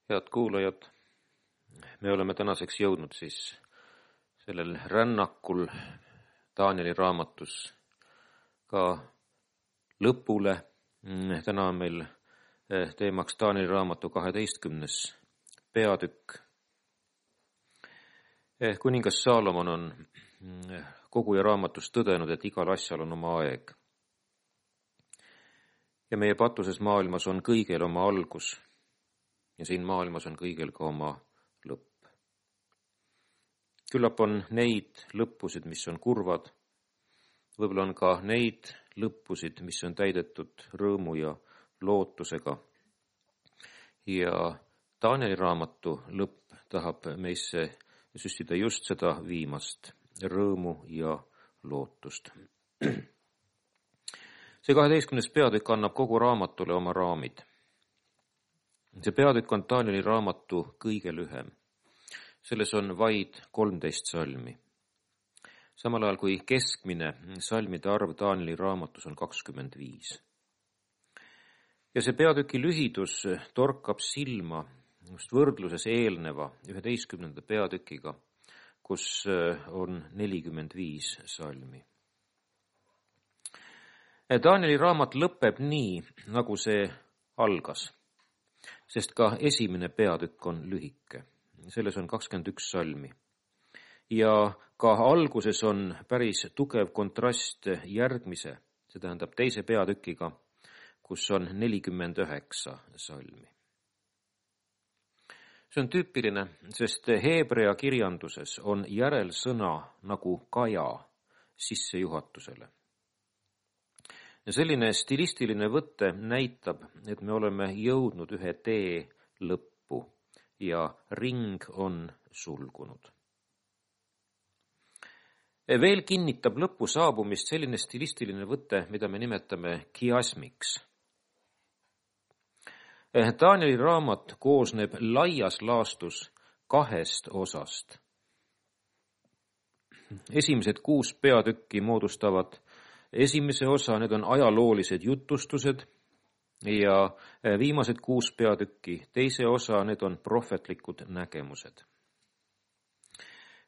Head kuulajad, me oleme tänaseks jõudnud siis sellel rännakul Danieli raamatus ka lõpule. Täna on meil teemaks Danieli raamatu 12. peatükk. Kuningas Saalomon on koguja raamatus tõdenud, et igal asjal on oma aeg. Ja meie patuses maailmas on kõigel oma algus. Ja siin maailmas on kõigel ka oma lõpp. Küllap on neid lõppusid, mis on kurvad. Võib-olla on ka neid lõppusid, mis on täidetud rõõmu ja lootusega. Ja Danieli raamatu lõpp tahab meisse süstida just seda viimast, rõõmu ja lootust. See 12. peatükk annab kogu raamatule oma raamid. See peatükk on Danieli raamatu kõige lühem. Selles on vaid 13 salmi. Samal ajal kui keskmine salmide arv Danieli raamatus on 25. Ja see peatüki lühidus torkab silma just võrdluses eelneva 11. peatükiga, kus on 45 salmi. Danieli raamat lõpeb nii, nagu see algas. Sest ka esimene peatükk on lühike. Selles on 21 salmi. Ja ka alguses on päris tugev kontrast järgmise, see tähendab teise peatükiga, kus on 49 salmi. See on tüüpiline, sest heebrea kirjanduses on järelsõna nagu kaja sissejuhatusele. Ja selline stilistiline võtte näitab, et me oleme jõudnud ühe tee lõppu ja ring on sulgunud. Veel kinnitab lõppu saabumist selline stilistiline võte, mida me nimetame kiasmiks. Danieli raamat koosneb laias laastus 2 osast. Esimesed 6 peatükki moodustavad esimese osa, need on ajaloolised jutustused ja viimased 6 peatükki, teise osa, need on prohvetlikud nägemused.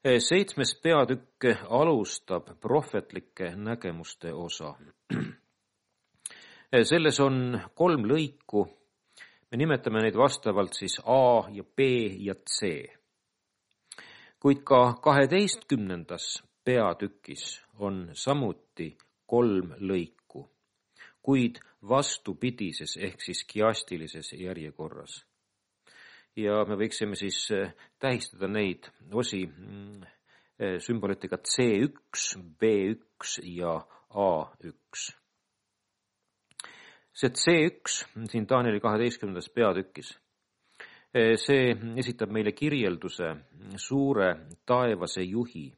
7. peatükk alustab prohvetlike nägemuste osa. Selles on 3 lõiku, me nimetame neid vastavalt siis A ja B ja C. Kuid ka 12. peatükis on samuti 3 lõiku, kuid vastupidises ehk siis kiastilises järjekorras. Ja me võiksime siis tähistada neid osi sümbolitega C1, B1 ja A1. See C1 siin Danieli 12. peatükis, see esitab meile kirjelduse suure taevase juhi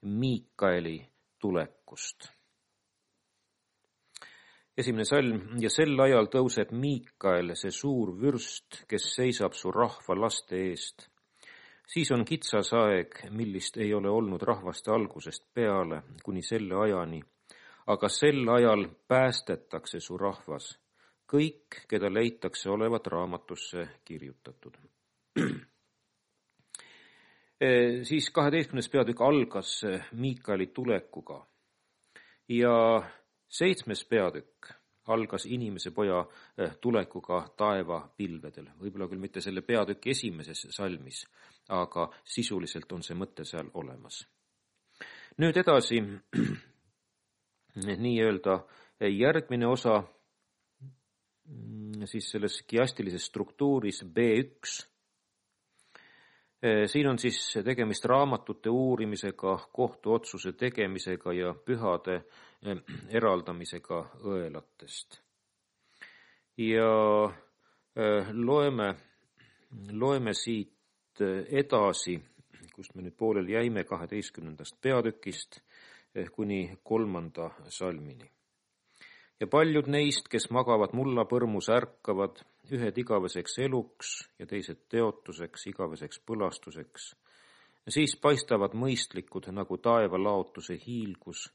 Miikaeli tulekust. Esimene salm, ja sel ajal tõuseb Miikael, see suur vürst, kes seisab su rahva laste eest. Siis on kitsas aeg, millist ei ole olnud rahvaste algusest peale kuni selle ajani, aga sel ajal päästetakse su rahvas, kõik, keda leitakse olevat raamatusse kirjutatud. Siis 12. peatükk algas Miikaeli tulekuga ja 7. peatükk algas inimese poja tulekuga taeva pilvedel. Võib-olla küll mitte selle peatüki esimeses salmis, aga sisuliselt on see mõte seal olemas. Nüüd edasi nii-öelda järgmine osa siis selles kiastilises struktuuris B1. Siin on siis tegemist raamatute uurimisega, kohtuotsuse tegemisega ja pühade eraldamisega õelatest. Ja loeme siit edasi, kust me nüüd poolel jäime 12. peatükist kuni 3. salmini. Ja paljud neist, kes magavad mullapõrmus, ärkavad, ühed igaveseks eluks ja teised teotuseks, igaveseks põlastuseks. Siis paistavad mõistlikud nagu taeva laotuse hiilgus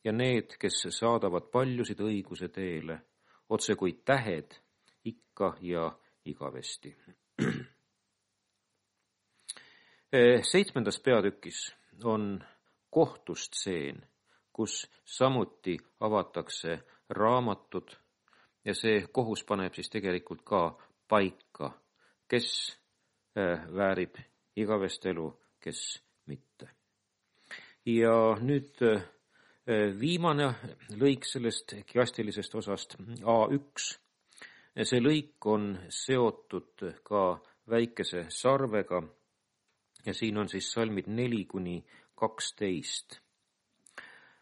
ja need, kes saadavad paljusid õiguse teele, otse kui tähed ikka ja igavesti. 7. peatükis on kohtustseen, kus samuti avatakse raamatud ja see kohus paneb siis tegelikult ka paika, kes väärib igavest elu, kes mitte. Ja nüüd viimane lõik sellest kiastilisest osast, A1. See lõik on seotud ka väikese sarvega ja siin on siis salmid 4-12.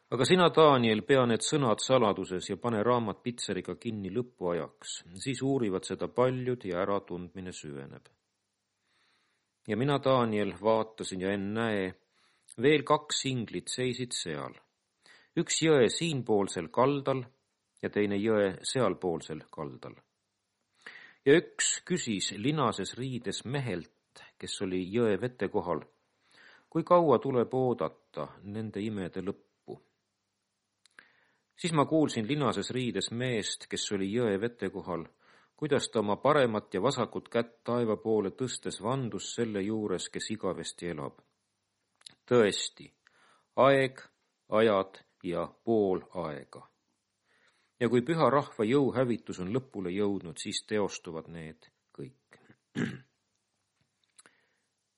Aga sina, Daniel, pea need sõnad saladuses ja pane raamat pitseriga kinni lõpuajaks. Siis uurivad seda paljud ja äratundmine süveneb. Ja mina, Daniel, vaatasin ja ennäe, veel 2 inglit seisid seal. Üks jõe siinpoolsel kaldal ja teine jõe sealpoolsel kaldal. Ja üks küsis linases riides mehelt, kes oli jõe vete kohal, kui kaua tuleb oodata nende imede lõppu. Siis ma kuulsin linases riides meest, kes oli jõe vete kohal, kuidas ta oma paremat ja vasakut kätt taeva poole tõstes vandus selle juures, kes igavesti elab. Tõesti, aeg, ajad ja pool aega. Ja kui püha rahva jõuhävitus on lõpule jõudnud, siis teostuvad need kõik.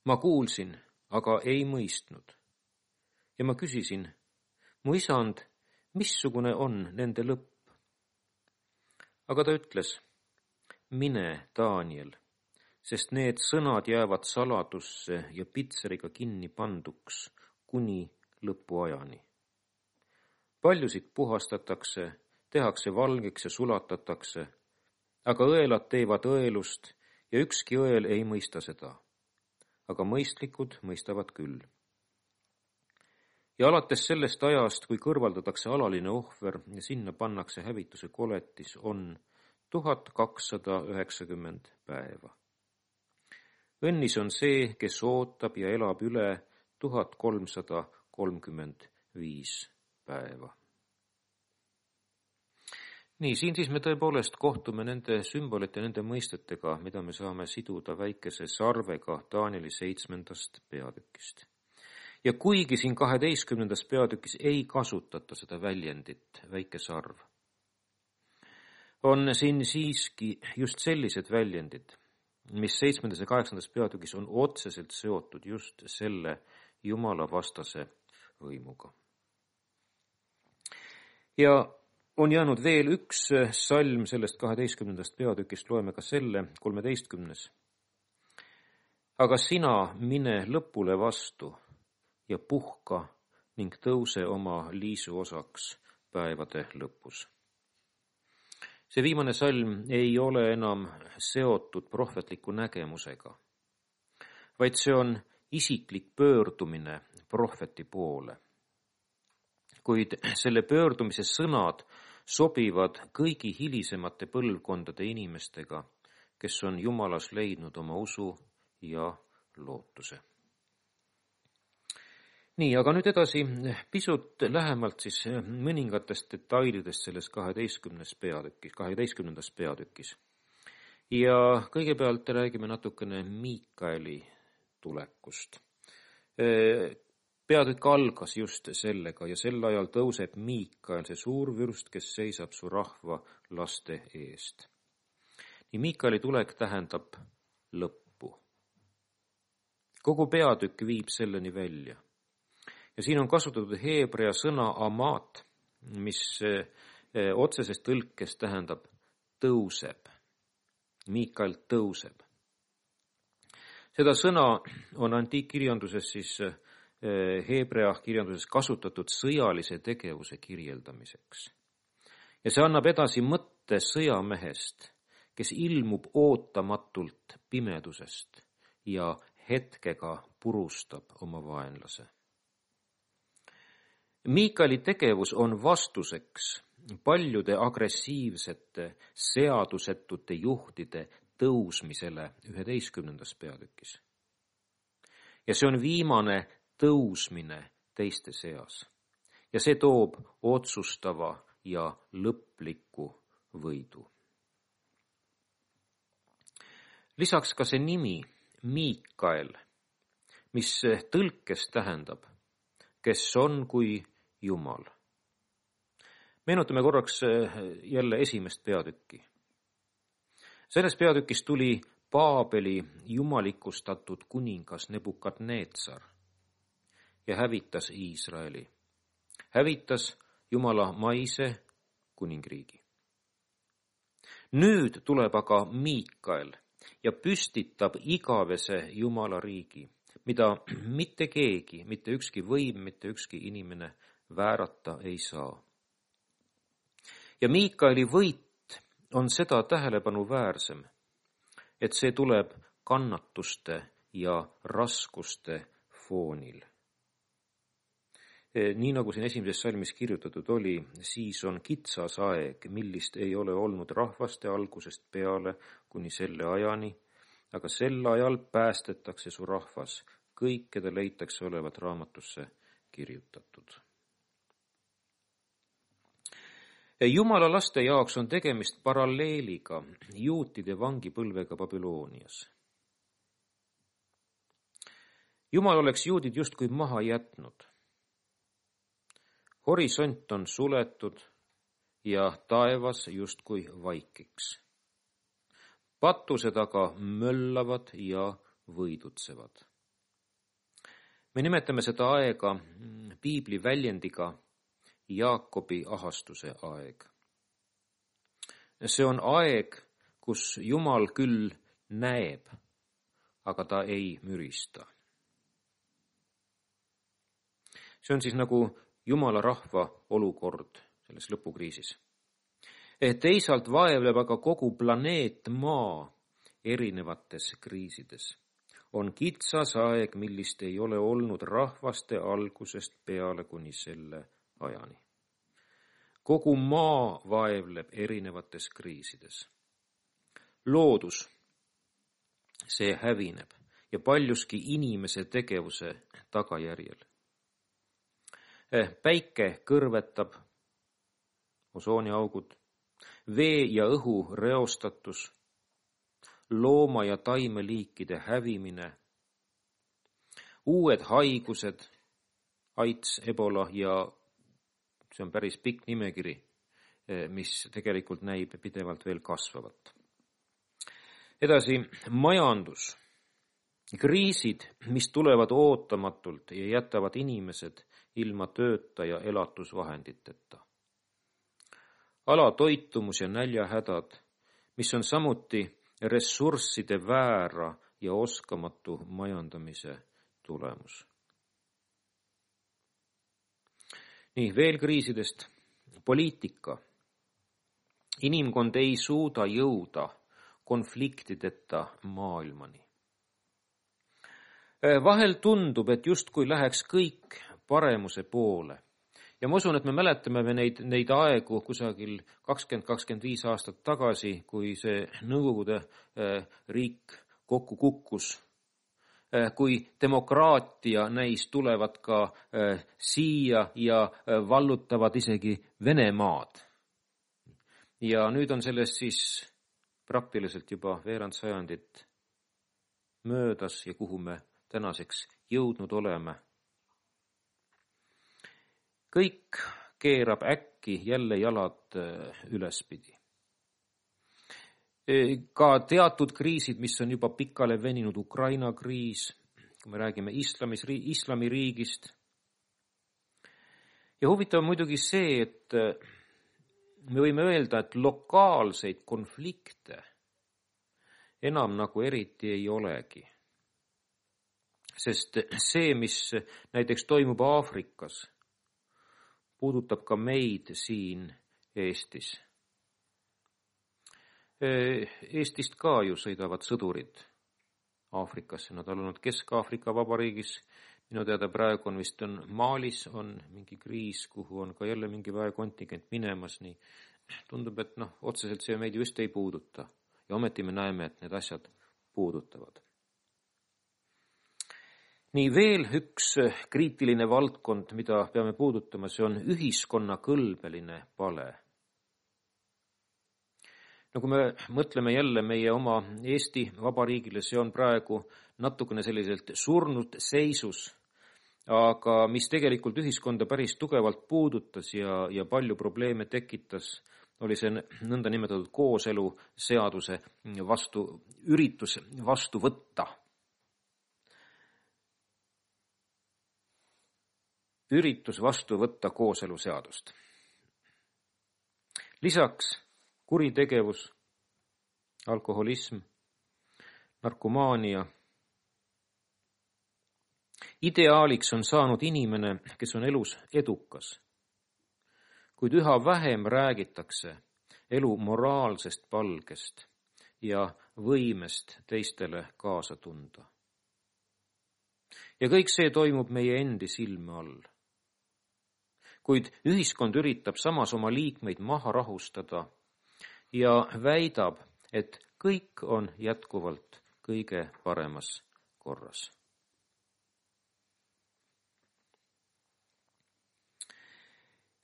Ma kuulsin, aga ei mõistnud. Ja ma küsisin, mu isand, missugune on nende lõpp? Aga ta ütles, mine, Daniel, sest need sõnad jäävad saladusse ja pitseriga kinni panduks kuni lõpuajani. Paljusid puhastatakse, tehakse valgeks ja sulatatakse, aga õelad teevad õelust ja ükski õel ei mõista seda. Aga mõistlikud mõistavad küll. Ja alates sellest ajast, kui kõrvaldatakse alaline ohver ja sinna pannakse hävituse koletis, on 1290 päeva. Õnnis on see, kes ootab ja elab üle 1335 päeva. Nii, siin siis me tõepoolest kohtume nende sümbolite, nende mõistetega, mida me saame siduda väikese sarvega Danieli 7. peatükist. Ja kuigi siin 12. peatükis ei kasutata seda väljendit, väike sarv, on siin siiski just sellised väljendid, mis 7. ja 8. peatükis on otseselt seotud just selle Jumala vastase võimuga. Ja on jäänud veel üks salm sellest 12. peatükist, loeme ka selle 13. Aga sina mine lõpule vastu ja puhka ning tõuse oma liisu osaks päevade lõpus. See viimane salm ei ole enam seotud prohvetliku nägemusega, vaid see on isiklik pöördumine prohveti poole. Kuid selle pöördumise sõnad sobivad kõigi hilisemate põlvkondade inimestega, kes on Jumalas leidnud oma usu ja lootuse. Nii, aga nüüd edasi pisut lähemalt siis mõningatest detailidest selles 12. peatükis. Ja kõigepealt räägime natukene Miikaeli tulekust. Peatükk algas just sellega ja sel ajal tõuseb Miikael, see suur vürst, kes seisab su rahva laste eest. Nii Miikaeli tulek tähendab lõppu. Kogu peatükk viib selleni välja. Ja siin on kasutatud heebrea sõna amat, mis otseses tõlkes tähendab tõuseb. Miikael tõuseb. Seda sõna on antiikkirjanduses siis heebrea kirjanduses kasutatud sõjalise tegevuse kirjeldamiseks. Ja see annab edasi mõtte sõjamehest, kes ilmub ootamatult pimedusest ja hetkega purustab oma vaenlase. Miikaeli tegevus on vastuseks paljude agressiivsete, seadusetute juhtide tõusmisele 11. peatükis. Ja see on viimane tõusmine teiste seas. Ja see toob otsustava ja lõpliku võidu. Lisaks ka see nimi Miikael, mis tõlkes tähendab, kes on kui Jumal. Meenutame korraks jälle esimest peatükki. Selles peatükis tuli Paabeli jumalikustatud kuningas Nebukadneetsar ja hävitas Iisraeli. Hävitas Jumala maise kuningriigi. Nüüd tuleb aga Miikael ja püstitab igavese Jumala riigi, mida mitte keegi, mitte ükski võim, mitte ükski inimene väärata ei saa. Ja Miikaeli võit on seda tähelepanuväärsem, et see tuleb kannatuste ja raskuste foonil. Nii nagu siin esimeses salmis kirjutatud oli, siis on kitsas aeg, millist ei ole olnud rahvaste algusest peale kuni selle ajani, aga sel ajal päästetakse su rahvas, kõik, keda leitakse olevat raamatusse kirjutatud. Jumala laste jaoks on tegemist paralleeliga juutide vangipõlvega Babüloonias. Jumal oleks juudid justkui maha jätnud. Horisont on suletud ja taevas justkui vaikiks. Patused aga möllavad ja võidutsevad. Me nimetame seda aega piibli väljendiga Jaakobi ahastuse aeg. See on aeg, kus Jumal küll näeb, aga ta ei mürista. See on siis nagu Jumala rahva olukord selles lõpukriisis. Teisalt vaevleb aga kogu planeet Maa erinevates kriisides. On kitsas aeg, millist ei ole olnud rahvaste algusest peale kuni selle ajani. Kogu maa vaevleb erinevates kriisides. Loodus, see hävineb ja paljuski inimese tegevuse tagajärjel. Päike kõrvetab, osooniaugud, vee ja õhu reostatus, looma- ja taimeliikide hävimine, uued haigused, AIDS, Ebola ja see on päris pikk nimekiri, mis tegelikult näib pidevalt veel kasvavat. Edasi, majandus, kriisid, mis tulevad ootamatult ja jätavad inimesed ilma tööta ja elatusvahenditeta. Alatoitumus ja näljahädad, mis on samuti ressursside väära ja oskamatu majandamise tulemus. Nii, veel kriisidest. Poliitika. Inimkond ei suuda jõuda konfliktideta maailmani. Vahel tundub, et justkui läheks kõik paremuse poole. Ja ma usun, et me mäletame neid aegu kusagil 20-25 aastat tagasi, kui see Nõukogude riik kokku kukkus, kui demokraatia näis tulevad ka siia ja vallutavad isegi Venemaad. Ja nüüd on sellest siis praktiliselt juba veerand sajandit möödas ja kuhu me tänaseks jõudnud oleme. Kõik keerab äkki jälle jalad ülespidi. Ka teatud kriisid, mis on juba pikale veninud, Ukraina kriis, kui me räägime islamiriigist. Ja huvitav on muidugi see, et me võime öelda, et lokaalseid konflikte enam nagu eriti ei olegi. Sest see, mis näiteks toimub Aafrikas, puudutab ka meid siin Eestis. Eestist ka ju sõidavad sõdurid Aafrikasse. Nad on olnud Kesk-Aafrika Vabariigis. Minu teada praegu on vist Malis on mingi kriis, kuhu on ka jälle mingi väekontingent minemas. Nii tundub, et otseselt see meid just ei puuduta. Ja ometi me näeme, et need asjad puudutavad. Nii veel üks kriitiline valdkond, mida peame puudutama, see on ühiskonna kõlbeline pale. No kui me mõtleme jälle meie oma Eesti Vabariigile, see on praegu natukene selliselt surnud seisus, aga mis tegelikult ühiskonda päris tugevalt puudutas ja palju probleeme tekitas, oli see nõnda nimetatud kooseluseaduse üritus vastu võtta. Üritus vastu võtta kooseluseadust. Lisaks kuritegevus, alkoholism, narkomaania. Ideaaliks on saanud inimene, kes on elus edukas, kuid üha vähem räägitakse elu moraalsest palgest ja võimest teistele kaasa tunda. Ja kõik see toimub meie endi silme all. Kuid ühiskond üritab samas oma liikmeid maha rahustada ja väidab, et kõik on jätkuvalt kõige paremas korras.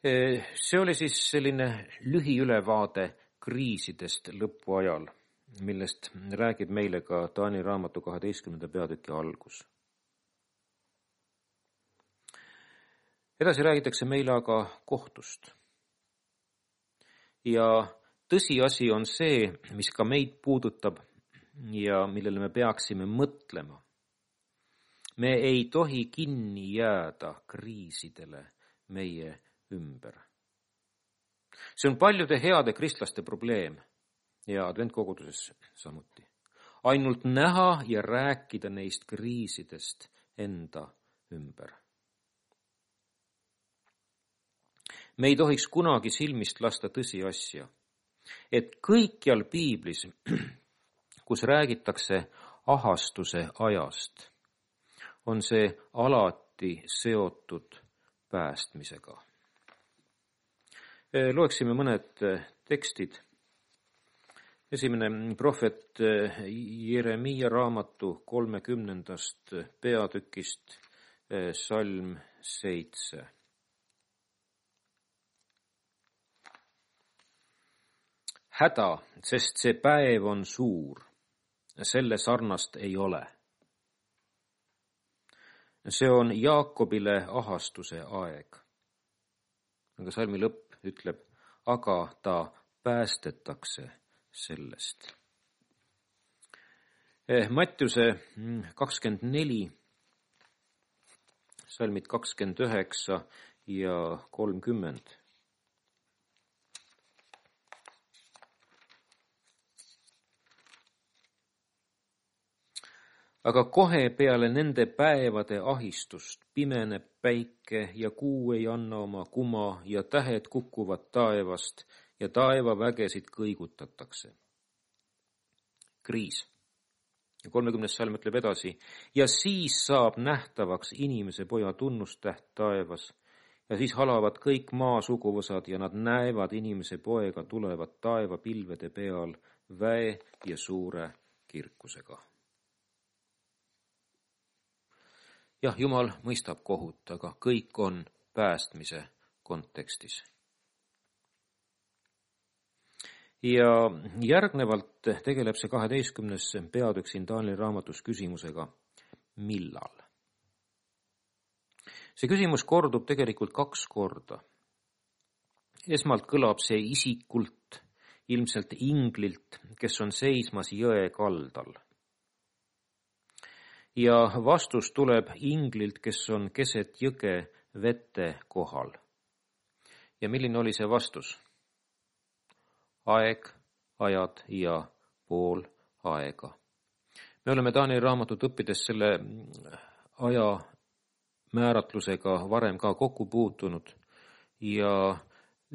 See oli siis selline lühiülevaade kriisidest lõpuajal, millest räägib meile ka Taani raamatu 12. peatüki algus. Edasi räägitakse meile aga kohtust. Ja tõsiasi on see, mis ka meid puudutab ja millele me peaksime mõtlema. Me ei tohi kinni jääda kriisidele meie ümber. See on paljude heade kristlaste probleem ja adventkoguduses samuti. Ainult näha ja rääkida neist kriisidest enda ümber. Me ei tohiks kunagi silmist lasta tõsiasja, et kõikjal piiblis, kus räägitakse ahastuse ajast, on see alati seotud päästmisega. Loeksime mõned tekstid. Esimene prohvet Jeremiia raamatu 30. peatükist, salm 7. Häda, sest see päev on suur, selle sarnast ei ole. See on Jaakobile ahastuse aeg. Aga salmi lõpp ütleb, aga ta päästetakse sellest. Mattiuse 24, salmid 29 ja 30. Aga kohe peale nende päevade ahistust pimeneb päike ja kuu ei anna oma kuma ja tähed kukuvad taevast ja taevavägesid kõigutatakse. Kriis. Ja 30. salm ütleb edasi. Ja siis saab nähtavaks inimese poja tunnustäht taevas ja siis halavad kõik maa suguvõsad ja nad näevad inimese poega tulevat taevapilvede peal väe ja suure kirkusega. Jah, Jumal mõistab kohut, aga kõik on päästmise kontekstis. Ja järgnevalt tegeleb see 12. peatükk siin Taani raamatus küsimusega, millal? See küsimus kordub tegelikult 2 korda. Esmalt kõlab see isikult, ilmselt inglilt, kes on seismas jõe kaldal. Ja vastus tuleb inglilt, kes on keset jõge vete kohal. Ja milline oli see vastus? Aeg, ajad ja pool aega. Me oleme Taani raamatut õppides selle aja määratlusega varem ka kokku puutunud ja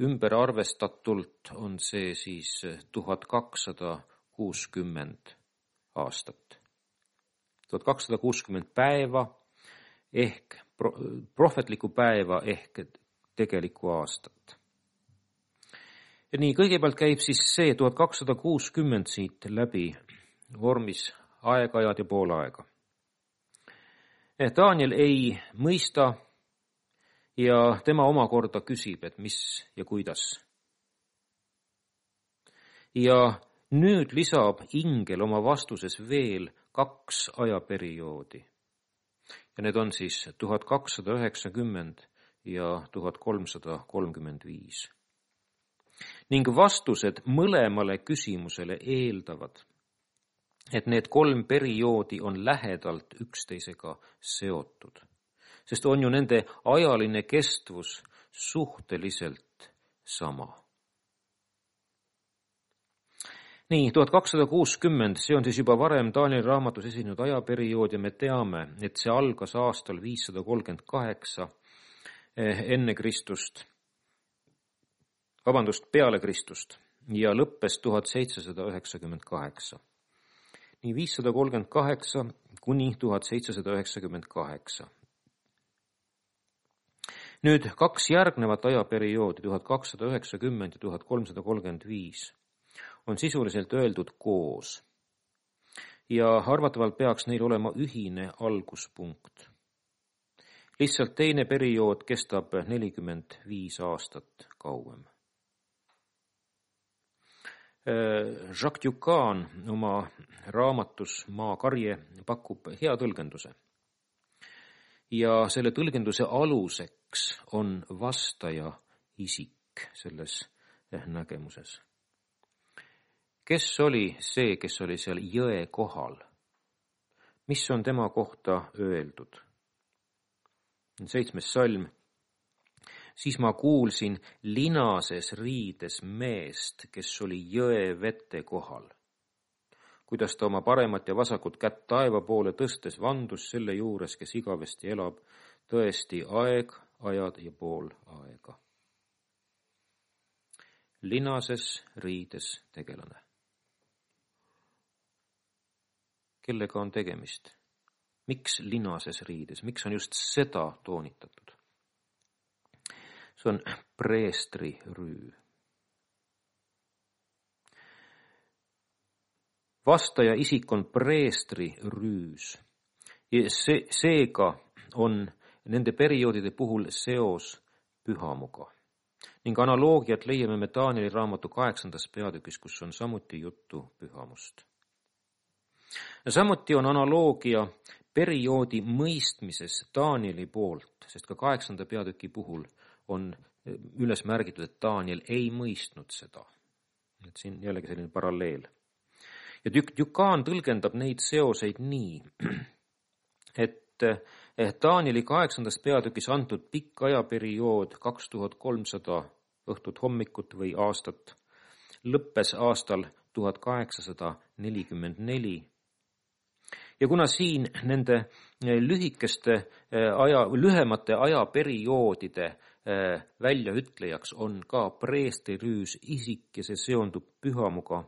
ümber arvestatult on see siis 1260 aastat. 1260 päeva ehk prohvetlikku päeva ehk tegelikku aastat. Ja nii, kõigepealt käib siis see 1260 siit läbi vormis aeg-ajad ja pool aega. Daniel ei mõista ja tema omakorda küsib, et mis ja kuidas. Ja Nüüd lisab ingel oma vastuses veel 2 ajaperioodi. Ja need on siis 1290 ja 1335. Ning vastused mõlemale küsimusele eeldavad, et need 3 perioodi on lähedalt üksteisega seotud, sest on ju nende ajaline kestvus suhteliselt sama. Nii, 1260, see on siis juba varem Danieli raamatus esinenud ajaperiood ja me teame, et see algas aastal 538 enne Kristust, peale Kristust ja lõppes 1798. Nii 538 kuni 1798. Nüüd 2 järgnevat ajaperioodi, 1290 ja 1335, on sisuliselt öeldud koos ja arvatavalt peaks neil olema ühine alguspunkt. Lihtsalt teine periood kestab 45 aastat kauem. Jacques Ducan oma raamatus Maakarje pakub hea tõlgenduse. Ja selle tõlgenduse aluseks on vastaja isik selles nägemuses. Kes oli see, kes oli seal jõe kohal? Mis on tema kohta öeldud? 7. salm. Siis ma kuulsin linases riides meest, kes oli jõe vete kohal. Kuidas ta oma paremat ja vasakut kätt taeva poole tõstes vandus selle juures, kes igavesti elab, tõesti aeg, ajad ja pool aega. Linases riides tegelane. Kellega on tegemist? Miks linases riides? Miks on just seda toonitatud? See on preestri rüü. Vastaja isik on preestri rüüs. Seega on nende perioodide puhul seos pühamuga. Ning analoogiat leiame me Danieli raamatu 8. peatükis, kus on samuti juttu pühamust. Samuti on analoogia perioodi mõistmises Danieli poolt, sest ka 8. peatüki puhul on üles märgitud, et Daniel ei mõistnud seda. Et siin jällegi selline paralleel. Ja Ducan tõlgendab neid seoseid nii, et Danieli 8. peatükis antud pikk ajaperiood 2300 õhtut hommikut või aastat lõppes aastal 1844. Ja kuna siin nende lühemate ajaperioodide väljaütlejaks on ka preestrirüüs isik ja see seondub pühamuga,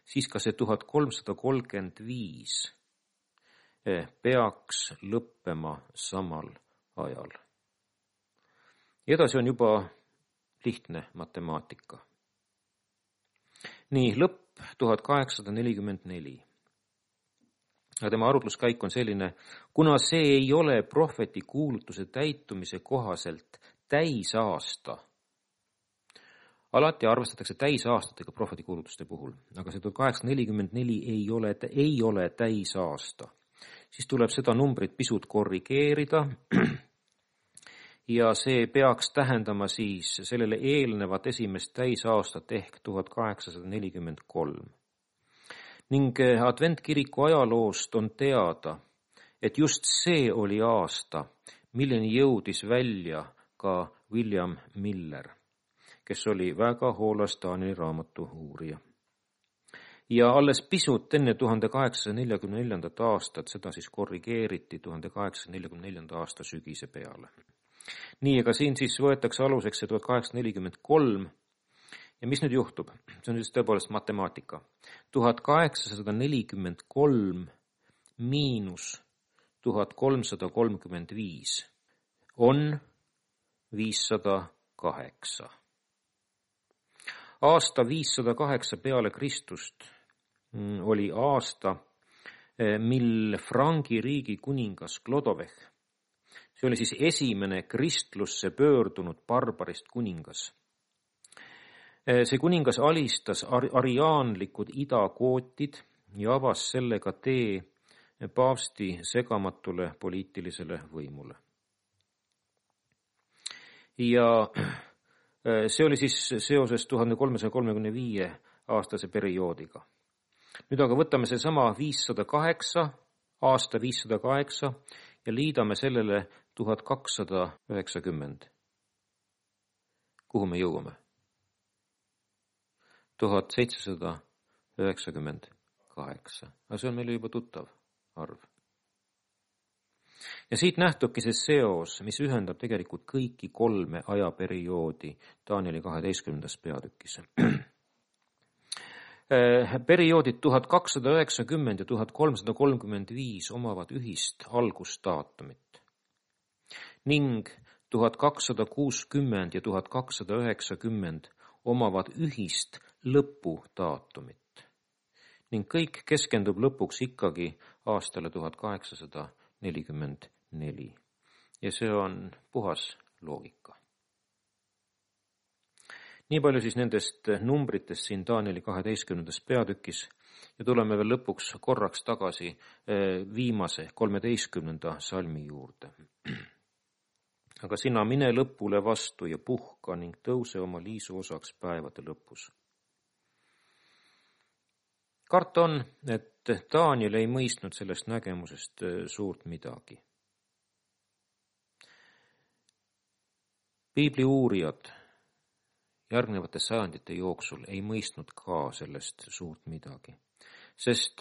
siis ka see 1335 peaks lõppema samal ajal. Edasi on juba lihtne matemaatika. Nii, lõpp 1844. Ja tema arutluskäik on selline, kuna see ei ole prohveti kuulutuse täitumise kohaselt täisaasta. Alati arvestatakse täisaastatega prohveti kuulutuste puhul, aga see 1844 ei ole täisaasta. Siis tuleb seda numbrit pisut korrigeerida ja see peaks tähendama siis sellele eelnevat esimest täisaastat ehk 1843. Ning adventkiriku ajaloost on teada, et just see oli aasta, milleni jõudis välja ka William Miller, kes oli väga hoolas Danieli raamatu uurija. Ja alles pisut enne 1844. aastat, seda siis korrigeeriti 1844. aasta sügise peale. Nii, aga siin siis võetakse aluseks see 1843. Ja mis nüüd juhtub? See on just tõepoolest matemaatika. 1843 miinus 1335 on 508. Aasta 508 peale Kristust oli aasta, mil Frangi riigi kuningas Clodovech, see oli siis esimene kristlusse pöördunud barbarist kuningas, See kuningas alistas ariaanlikud idakootid ja avas sellega tee paavsti segamatule poliitilisele võimule. Ja see oli siis seoses 1335 aastase perioodiga. Nüüd aga võtame see sama 508, aasta 508 ja liidame sellele 1290. Kuhu me jõuame? 1798. Aga see on meile juba tuttav arv. Ja siit nähtubki see seos, mis ühendab tegelikult kõiki 3 ajaperioodi Danieli 12. peatükis. Perioodid 1290 ja 1335 omavad ühist algusdaatumit ning 1260 ja 1290 omavad ühist lõpudaatumit ning kõik keskendub lõpuks ikkagi aastale 1844 ja see on puhas loogika. Nii palju siis nendest numbritest siin Danieli 12. peatükis ja tuleme veel lõpuks korraks tagasi viimase 13. salmi juurde. Aga sina mine lõpule vastu ja puhka ning tõuse oma liisu osaks päevade lõpus. Karta on, et Daniel ei mõistnud sellest nägemusest suurt midagi. Piibli uurijad järgnevate sajandite jooksul ei mõistnud ka sellest suurt midagi, sest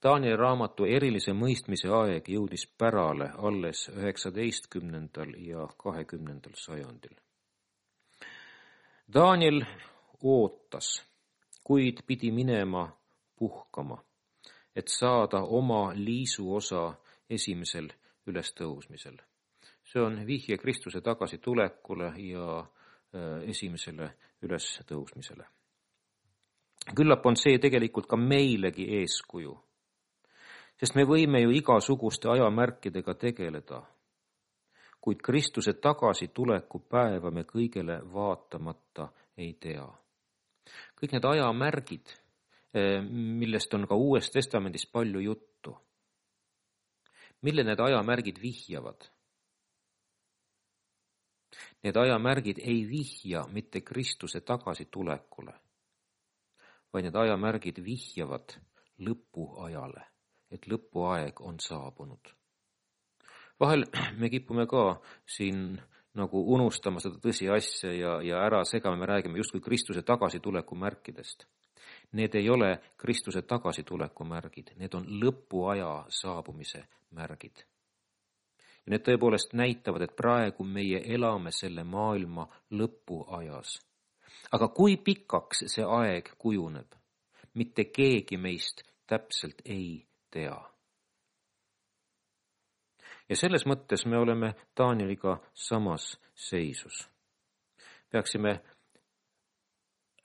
Danieli raamatu erilise mõistmise aeg jõudis pärale alles 19. ja 20. sajandil. Daniel ootas, kuid pidi minema puhkama, et saada oma liisuosa esimesel ülestõusmisel. See on vihje Kristuse tagasitulekule ja esimesele ülestõusmisele. Küllap on see tegelikult ka meilegi eeskuju, sest me võime ju igasuguste ajamärkidega tegeleda, kuid Kristuse tagasituleku päeva me kõigele vaatamata ei tea. Kõik need ajamärgid, millest on ka Uues Testamendis palju juttu, mille need ajamärgid vihjavad? Need ajamärgid ei vihja mitte Kristuse tagasitulekule, vaid need ajamärgid vihjavad lõpuajale, et lõpuaeg on saabunud. Vahel me kipume ka siin nagu unustama seda tõsiasja ja ära segame, me räägime justkui Kristuse tagasituleku märkidest. Need ei ole Kristuse tagasituleku märgid, need on lõpuaja saabumise märgid. Ja need tõepoolest näitavad, et praegu meie elame selle maailma lõpuajas. Aga kui pikaks see aeg kujuneb, mitte keegi meist täpselt ei tea. Ja selles mõttes me oleme Danieliga samas seisus. Peaksime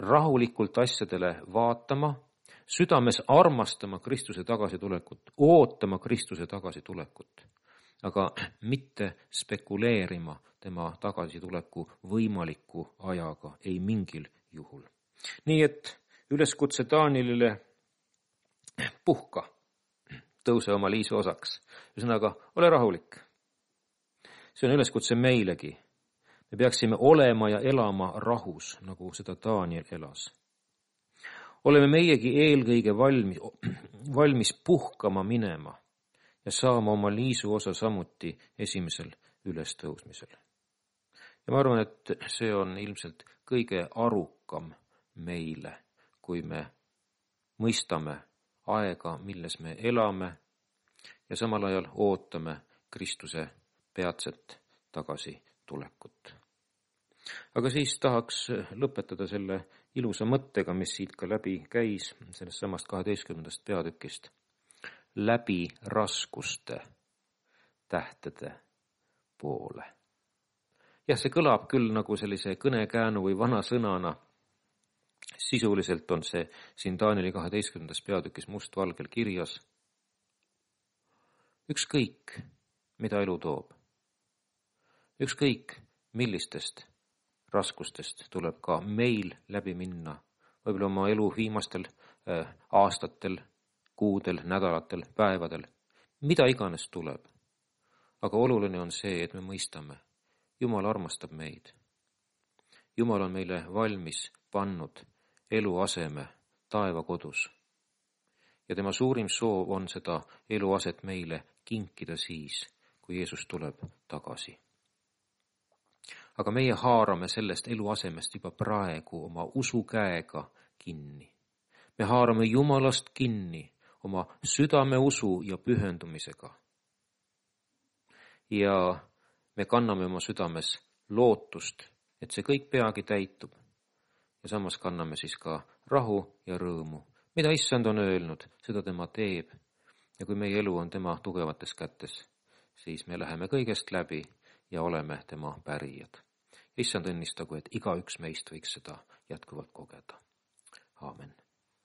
rahulikult asjadele vaatama, südames armastama Kristuse tagasitulekut, ootama Kristuse tagasitulekut, aga mitte spekuleerima tema tagasituleku võimaliku ajaga, ei mingil juhul. Nii et üleskutse Danielile puhka, tõuse oma liisu osaks. Ühesõnaga, ole rahulik. See on üleskutse meilegi. Me peaksime olema ja elama rahus, nagu seda Daniel elas. Oleme meiegi eelkõige valmis puhkama minema ja saama oma liisu osa samuti esimesel ülestõusmisel. Ja ma arvan, et see on ilmselt kõige arukam meile, kui me mõistame aega, milles me elame ja samal ajal ootame Kristuse peatset tagasitulekut. Aga siis tahaks lõpetada selle ilusa mõttega, mis siit ka läbi käis, sellest samast 12. peatükist. Läbi raskuste tähtede poole. Jah, see kõlab küll nagu sellise kõnekäänu või vana sõnana. Sisuliselt on see siin Danieli 12. peatükis mustvalgel kirjas. Ükskõik, mida elu toob. Ükskõik, millistest raskustest tuleb ka meil läbi minna, võib-olla oma elu viimastel aastatel, kuudel, nädalatel, päevadel, mida iganes tuleb. Aga oluline on see, et me mõistame, Jumal armastab meid. Jumal on meile valmis pannud eluaseme taevakodus. Ja tema suurim soov on seda eluaset meile kinkida siis, kui Jeesus tuleb tagasi. Aga meie haarame sellest eluasemest juba praegu oma usukäega kinni. Me haarame Jumalast kinni oma südame usu ja pühendumisega. Ja me kanname oma südames lootust, et see kõik peagi täitub. Ja samas kanname siis ka rahu ja rõõmu. Mida Issand on öelnud, seda tema teeb. Ja kui meie elu on tema tugevates kätes, siis me läheme kõigest läbi ja oleme tema pärijad. Issand õnnistagu, et igaüks meist võiks seda jätkuvalt kogeda. Aamen.